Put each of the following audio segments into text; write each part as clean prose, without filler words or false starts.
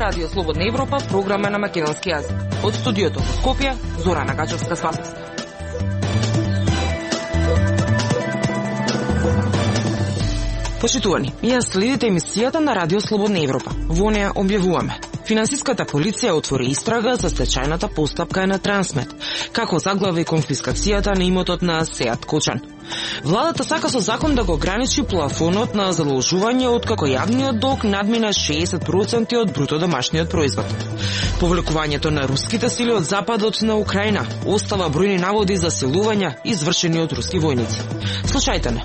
Радио Слободна Европа, програма на македонски јазик. Од студиото во Скопје, Зорана Гачевска с вас. Почитувани, ја следите емисијата на Радио Слободна Европа. Во неја објавуваме: финансиската полиција отвори истрага за стечајната постапка на Трансмет, како заглави конфискацијата на имотот на Сеат Кочан. Владата сака со закон да го ограничи плафонот на задолжување откако јавниот долг надмина 60% од бруто домашниот производ. Повлекувањето на руските сили од западот на Украина остава бројни наводи за силувања извршени од руски војници. Слушајте не.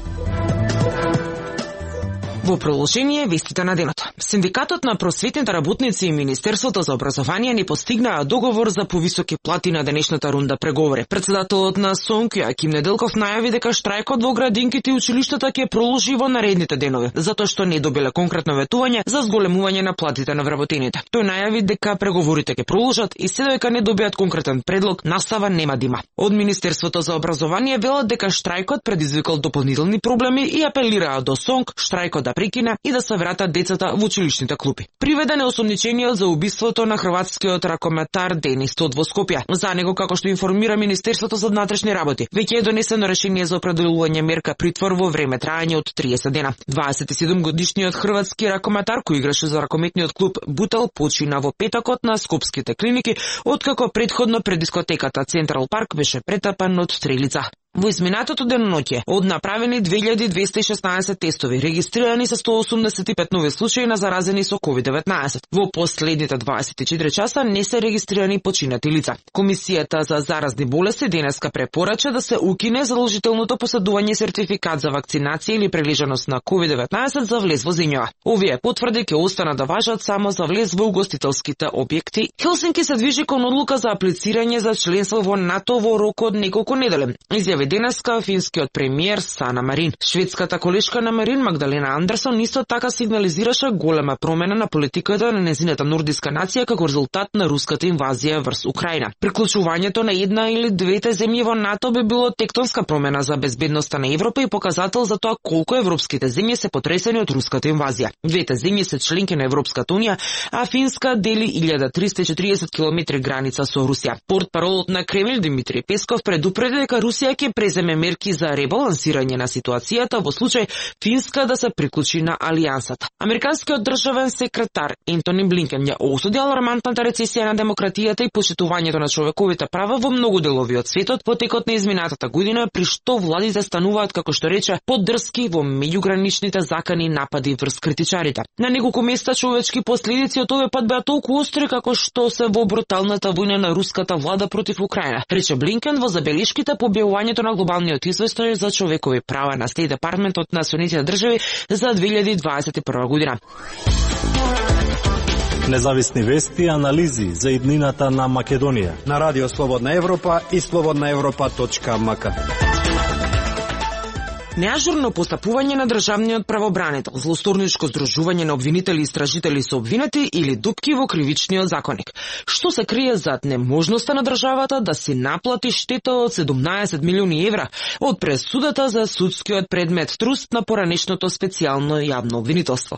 Во продолжение вестите на денот. Синдикатот на просветните работници и Министерството за образование не постигнаа договор за повисоки плати на денешната рунда преговори. Председателот на СОНК Јоаким Неделков најави дека штрајкот во градинките и училиштата ќе продолжи во наредните денови, затоа што не добиле конкретно ветување за зголемување на платите на вработените. Тој најави дека преговорите ќе продолжат и се додека не добијат конкретен предлог, настава нема да има. Од Министерството за образование велат дека штрајкот предизвикал дополнителни проблеми и апелираа до СОНК штрајкот да прекина и да се вратат децата во училишните клупи. Приведен е осомничениот за убиството на хрватскиот ракометар Денис Тод во Скопје. За него, како што информира Министерството за внатрешни работи, веќе е донесено решение за определување мерка притвор во време трајање од 30 дена. 27-годишниот хрватски ракометар кој играше за ракометниот клуб Бутел почина во петокот на скопските клиники, откако претходно пред дискотеката Централ Парк беше претапан од стрелица. Во изминатото деноноќе од направени 2216 тестови, регистрирани се 185 нови случаи на заразени со COVID-19. Во последните 24 часа не се регистрирани починати лица. Комисијата за заразни болести денеска препорача да се укине задолжителното поседување сертификат за вакцинација или прележаност на COVID-19 за влез во земјава. Овие потврди ќе останат да важат само за влез во угостителските објекти. Хелсинки се движи кон одлука за аплицирање за членство во НАТО во рок од неколку недели. Изјави денеска финскиот премиер Сана Марин. Шведската колешка на Марин, Магдалена Андерсон, исто така сигнализираше голема промена на политиката на незината нордиска нација како резултат на руската инвазија врз Украина. Приклучувањето на една или двете земји во НАТО би било тектонска промена за безбедноста на Европа и показател за тоа колку европските земји се потресени од руската инвазија. Двете земји се членки на Европската унија, а Финска дели 1340 км граница со Русија. Портпаролот на Кремљ Димитри Песков предупреди дека Русија ќе преземе мерки за ребалансирање на ситуацијата во случај Финска да се приклучи на алијансата. Американскиот државен секретар Ентони Блинкен ја осуди алармантната рецесија на демократијата и почитувањето на човековите права во многу делови од светот во текот на изминатата година, при што владите стануваат, како што рече, поддрски во меѓуграничните закани напади врз критичарите. На неколку места човечки последици од овој пат беа толку остри како што се во бруталната војна на руската влада против Украина, рече Блинкен во забелешките по објавувањето на глобалниот извештај за човекови права на Стејт департментот на Соединетите држави за 2021 година. Независни вести и анализи за иднината на Македонија на Радио Слободна Европа и slobodnaevropa.mk. Неажурно постапување на државниот правобранител, злосторничко здружување на обвинители и истражители со обвинети или дупки во кривичниот законник. Што се крие зад неможноста на државата да си наплати штета од 17 милиони евра од пресудата за судскиот предмет Труст на поранешното специјално јавно обвинителство.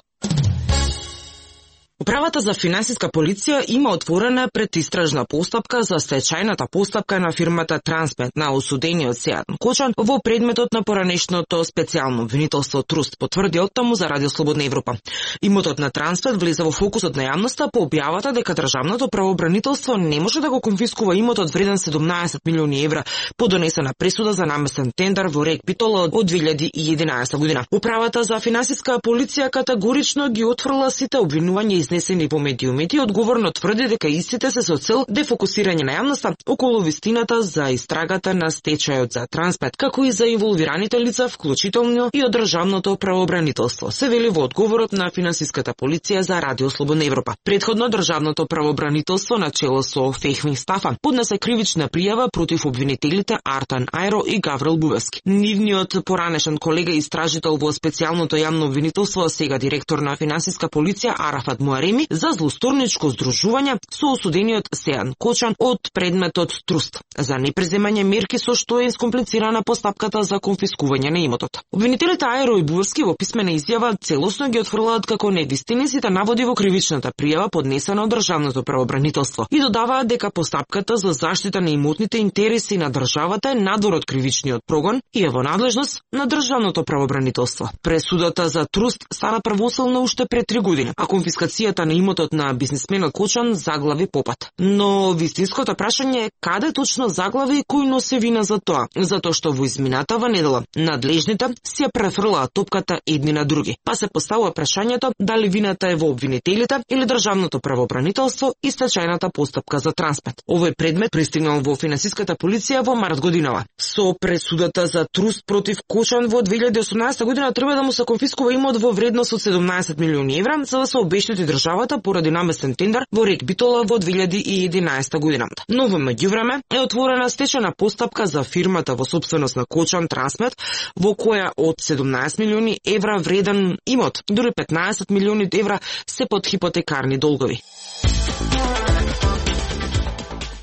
Управата за финансиска полиција има отворена предистражна постапка за стечајната постапка на фирмата Трансмет на осудениот Сеат Кочан во предметот на поранешното специјално обвинителство Труст, потврди оттаму за Радио Слободна Европа. Имотот на Трансмет влезе во фокусот на јавноста по објавата дека државното правобранителство не може да го конфискува имотот вреден 17 милиони евра по донесена пресуда за наместен тендер во Рек Битола од 2011 година. Управата за финансиска полиција категорично ги отфрла сите обвинувања изнесени во медиумите и одговорно тврди дека истите се со цел дефокусирање на јавноста околу вистината за истрагата на стечајот за Трансмет, како и за инволвираните лица, вклучително и од државното правобранителство, се вели во одговорот на финансиската полиција за Радио Слободна Европа. Претходно државното правобранителство на чело со Фехмин Стафан поднесе кривична пријава против обвинителите Артан Ајро и Гаврил Бувевски. Нивниот поранешен колега истражител во специјалното јавно обвинителство, сега директор на финансиска полиција Арафат Муари бареми за злосторничко здружување со осудениот Сејан Кочан од предметот труст за непреземање мерки со што е искомплицирана постапката за конфискување на имотот. Обвинителите Ајро и Буевски во писмена изјава целосно ги отфрлаат како невистини сите наводи во кривичната пријава поднесена од Државното правобранителство и додаваат дека постапката за заштита на имотните интереси на државата е надвор од кривичниот прогон и е во надлежност на Државното правобранителство. Пресудата за труст стана правосилна уште пред 3 години, а конфискацијата на имотот на бизнисменот Кочан заглави попат. Но вистинското прашање е каде точно заглави и кој носи вина за тоа, затоа што во изминатава недела надлежните си ја префрлаат топката едни на други. Па се поставува прашањето дали вината е во обвинителите или Државното правобранителство и стечајната постапка за Трансмет. Овој предмет пристигнал во финансиската полиција во март годинава. Со пресудата за труст против Кочан во 2018 година треба да му се конфискува имот во вредност од 17 милиони евра за да се обештети државата поради наместен тендер во Рек Битола во 2011 година. Но во меѓувреме е отворена стечајна постапка за фирмата во сопственост на Кочан Трансмет, во која од 17 милиони евра вреден имот, дури 15 милиони евра се под хипотекарни долгови.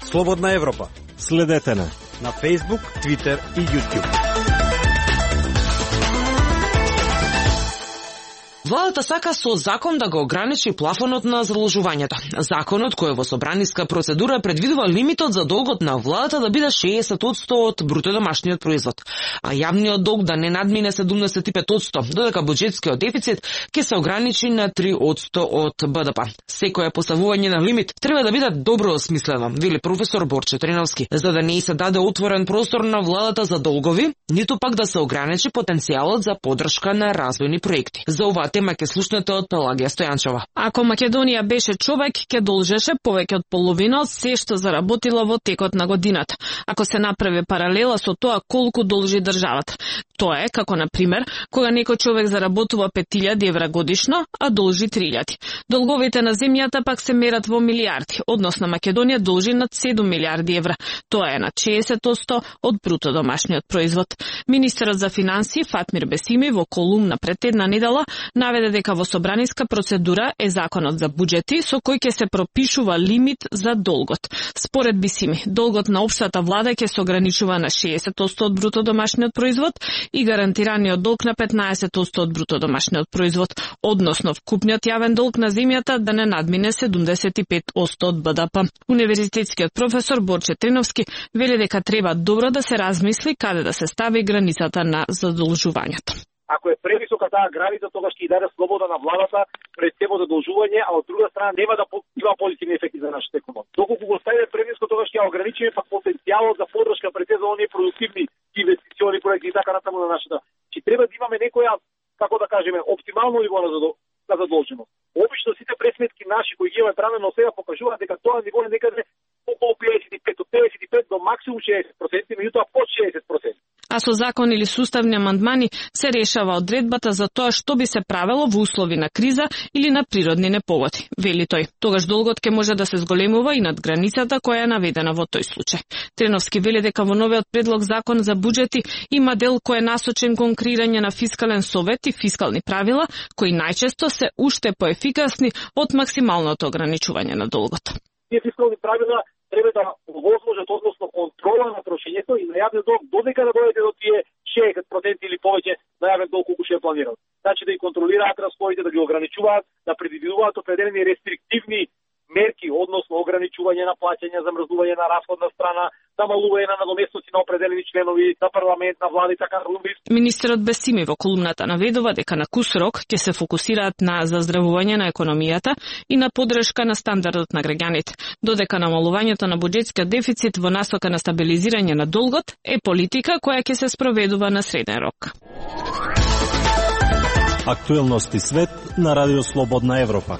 Слободна Европа. Следете на Facebook, Twitter и YouTube. Владата сака со закон да го ограничи плафонот на заложувањето. Законот кој во собраниска процедура предвидува лимитот за долгот на владата да биде 60% од бруто домашниот производ, а јавниот долг да не надмине 75%, додека буџетскиот дефицит ќе се ограничи на 3% од БДП. Секое поставување на лимит треба да биде добро осмислено, вели професор Борче Триновски, за да не се даде отворен простор на владата за долгови, ниту пак да се ограничи потенцијалот за поддршка на развојни проекти. За оваа тема ќе слушнете од Пелагија Стојанчова. Ако Македонија беше човек, ќе должеше повеќе од половина од се што заработила во текот на годината. Ако се направи паралела со тоа колку должи државата. Тоа е како, на пример, кога некој човек заработува 5000 евра годишно, а должи 3000. Долговите на земјата пак се мерат во милиарди, односно Македонија должи над 7 милиарди евра. Тоа е на 60% од бруто домашниот производ. Министерот за финансии Фатмир Бесими во колумна пред една недела наведе дека во собраниска процедура е законот за буџети со кој ќе се пропишува лимит за долгот. Според Бесими, долгот на општата влада ќе се ограничува на 60% од бруто домашниот производ и гарантираниот долг на 15% од бруто домашниот производ, односно вкупниот јавен долг на земјата да не надмине 75% од БДП. Универзитетскиот професор Борче Триновски вели дека треба добро да се размисли каде да се стави границата на задолжувањето. Ако е превисока таа граница, тогаш ќе даде слобода на владата пред себе задолжување, а од друга страна нема да има позитивни ефекти за нашата економија. Доколку го ставиме превисоко, тогаш ќе ограничиме пак потенцијалот за поддршка пред за оние продуктивни инвестициони проекти и така натаму на нашата. Че треба да имаме некоја, како да кажеме, оптимално ниво на задолженост. Обично сите пресметки наши кои ги имаме правено сега покажуваат дека тоа ниво е некаде околу 55, од 55 до максимум 60%, меѓутоа под 60%. А со закон или суставни амандмани се решава одредбата за тоа што би се правело во услови на криза или на природни непогоди, вели тој. Тогаш долгот ќе може да се зголемува и над границата која е наведена во тој случај. Триновски вели дека во новиот предлог закон за буџети има дел кој е насочен кон креирање на фискален совет и фискални правила, кои најчесто се уште поефикасни од максималното ограничување на долгот. Тие фискални правила треба да овозможат односно контрола на трошењето и на јавниот долг додека да дојде до тие 60% или повеќе на јавен долг колку што е планирал. Значи да ги контролираат расходите, да ги ограничуваат, да предвидуваат определени рестриктивни мерки, односно ограничување на плаќања, замрзнување на расходна страна, намалување на надоместоци на определени членови на парламент, на влада и така натаму. Министерот Бесими во колумната наведува дека на кус рок ќе се фокусираат на заздравување на економијата и на поддршка на стандардот на граѓаните, додека намалувањето на буџетскиот дефицит во насока на стабилизирање на долгот е политика која ќе се спроведува на среден рок. Актуелности свет на Радио Слободна Европа.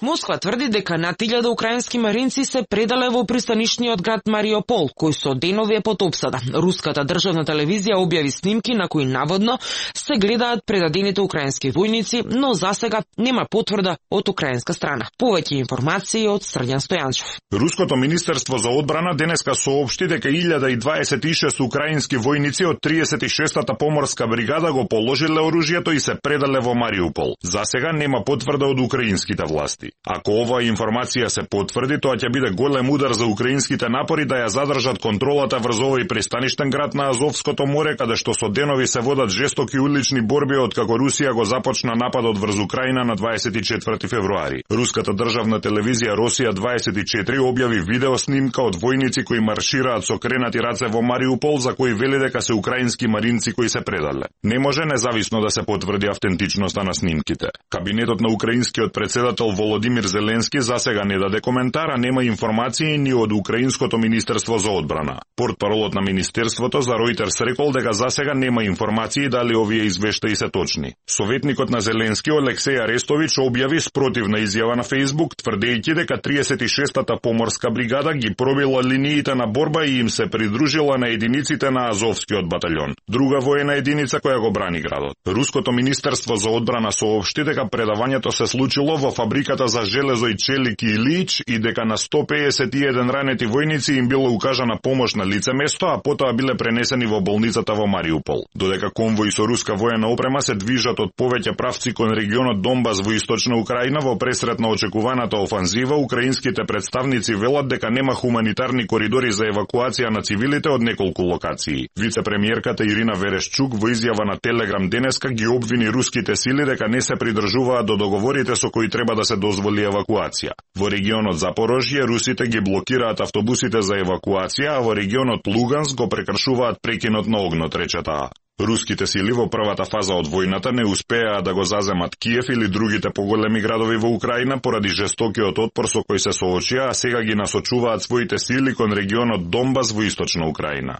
Москва тврди дека над 1000 украински маринци се предале во пристанишниот град Мариупол, кој со денови е под опсада. Руската државна телевизија објави снимки на кои наводно се гледаат предадените украински војници, но засега нема потврда од украинска страна. Повеќе информации од Срđan Стојанчев. Руското министерство за одбрана денеска соопшти дека 1026 украински војници од 36-та поморска бригада го положиле оружјето и се предале во Мариупол. Засега нема потврда од украинските власти. Ако оваа информација се потврди, тоа ќе биде голем удар за украинските напори да ја задржат контролата врз овој пристаништен град на Азовското море, каде што со денови се водат жестоки улични борби откако Русија го започна нападот врз Украина на 24 февруари. Руската државна телевизија Росија 24 објави видео снимка од војници кои маршираат со кренати раце во Мариупол, за кои вели дека се украински маринци кои се предале. Не може независно да се потврди автентичноста на снимките. Кабинетот на украинскиот председател Володимир Зеленски засега не даде коментара, нема информации ни од Украинското министерство за одбрана. Портпаролот на министерството за Reuters рекол дека засега нема информации дали овие извештаи се точни. Советникот на Зеленски Олексеј Арестович објави спротивна изјава на Facebook, тврдејќи дека 36-та поморска бригада ги пробила линиите на борба и им се придружила на единиците на Азовскиот батальон, друга воена единица која го брани градот. Руското министерство за одбрана соопшти дека предавањето се случило во фабриката за железо и челики Илич и дека на 151 ранети војници им било укажана помош на лице место, а потоа биле пренесени во болницата во Мариупол. Додека конвои со руска воена опрема се движат од повеќе правци кон регионот Донбас во источна Украина во пресрет на очекуваната офанзива, украинските представници велат дека нема хуманитарни коридори за евакуација на цивилите од неколку локации. Вице-премиерката Ирина Верешчук во изјава на Телеграм денеска ги обвини руските сили дека не се придржуваат до договорите со кои треба да се дозволи евакуација. Во регионот Запорожје русите ги блокираат автобусите за евакуација, а во регионот Луганск го прекршуваат прекинот на огнот, рече таа. Руските сили во првата фаза од војната не успеа да го заземат Киев или другите поголеми градови во Украина поради жестокиот отпор со кој се соочија, а сега ги насочуваат своите сили кон регионот Донбас во источна Украина.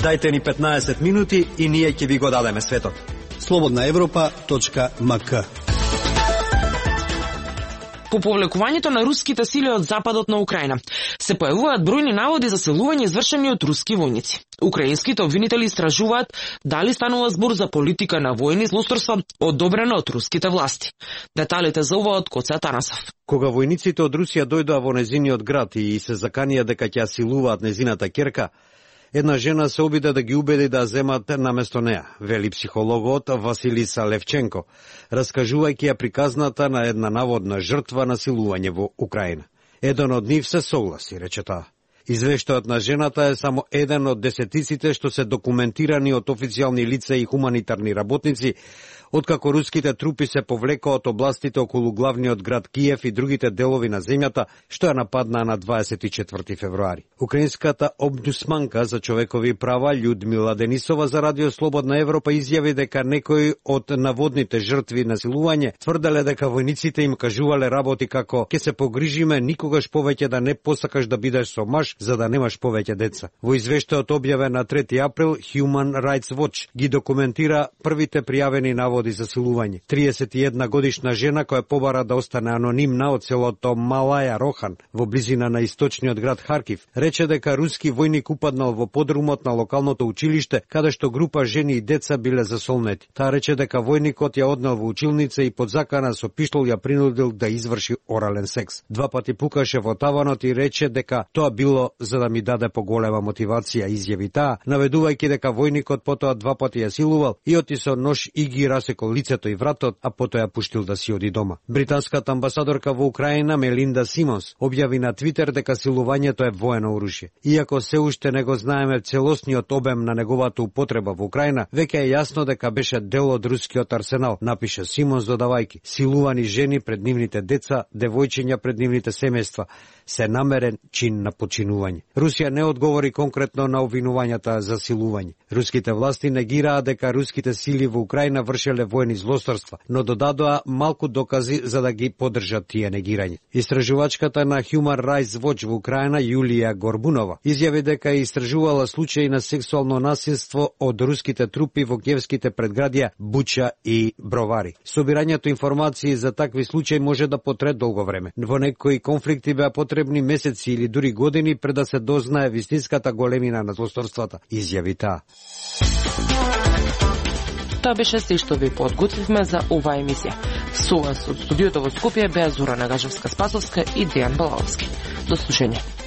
Дајте ни 15 минути и ние ќе ви го дадеме светот. slobodnaevropa.mk. По повлекувањето на руските сили од западот на Украина се појавуваат бројни наводи за силување извршени од руски војници. Украинските обвинители истражуваат дали станува збор за политика на војни злосторства одобрена од руските власти. Деталите за ова од Коце Атанасов. Кога војниците од Русија дојдоа во незиниот град и се заканија дека ќе силуваат незината ќерка, една жена се обиде да ги убеди да земат наместо неа, вели психологот Василиса Левченко, раскажувајќи ја приказната на една наводна жртва на силување во Украина. Еден од нив се согласи, рече таа. Извештајот на жената е само еден од десетиците што се документирани од официјални лица и хуманитарни работници, откако руските трупи се повлекоа од областите околу главниот град Киев и другите делови на земјата, што ја нападнаа на 24 февруари. Украинската омбудсманка за човекови права Људмила Денисова за Радио Слободна Европа изјави дека некои од наводните жртви на силување тврделе дека војниците им кажувале работи како ќе се погрижиме никогаш повеќе да не посакаш да бидеш со маж за да немаш повеќе деца. Во извештајот објавен на 3 април, Human Rights Watch ги документира првите пријавени наводи за силување. 31 годишна жена која побара да остане анонимна од селото Малаја Рохан во близина на источниот град Харкив, рече дека руски војник упаднал во подрумот на локалното училиште каде што група жени и деца биле засолнети. Таа рече дека војникот ја однел во училница и под закана со пиштол ја принудил да изврши орален секс. 2 пати пукаше во таванот и рече дека тоа било за да ми даде поголема мотивација, изјави таа, наведувајќи дека војникот потоа 2 пати ја силувал и оти со нож и ги расекол лицето и вратот, а потоа ја пуштил да си оди дома. Британската амбасадорка во Украина Мелинда Симонс објави на Твитер дека силувањето е воено оружје. Иако се уште не го знаеме целосниот обем на неговата употреба во Украина, веќе е јасно дека беше дел од рускиот арсенал, напише Симонс додавајќи: силувани жени пред нивните деца, девојчиња пред нивните семејства, се намерен чин на починување. Русија не одговори конкретно на обвинувањата за силување. Руските власти негираа дека руските сили во Украина вршеле воени злосторства, но додадоа малку докази за да ги поддржат тие негирање. Истражувачката на Human Rights Watch во Украина Јулија Горбунова изјави дека е истражувала случаи на сексуално насилство од руските трупи во киевските предградија Буча и Бровари. Собирањето информации за такви случаи може да потрае долго време. Во некои конфликти беа потребни месеци или дури години пред да се дознае вистинската големина на злосторствата, изјави таа. Тоа беше се што ви подготвивме за оваа емисија. Со вас од студиото во Скопје беа Зора Нагажевска-Спасовска и Дејан Балаловски. До слушање.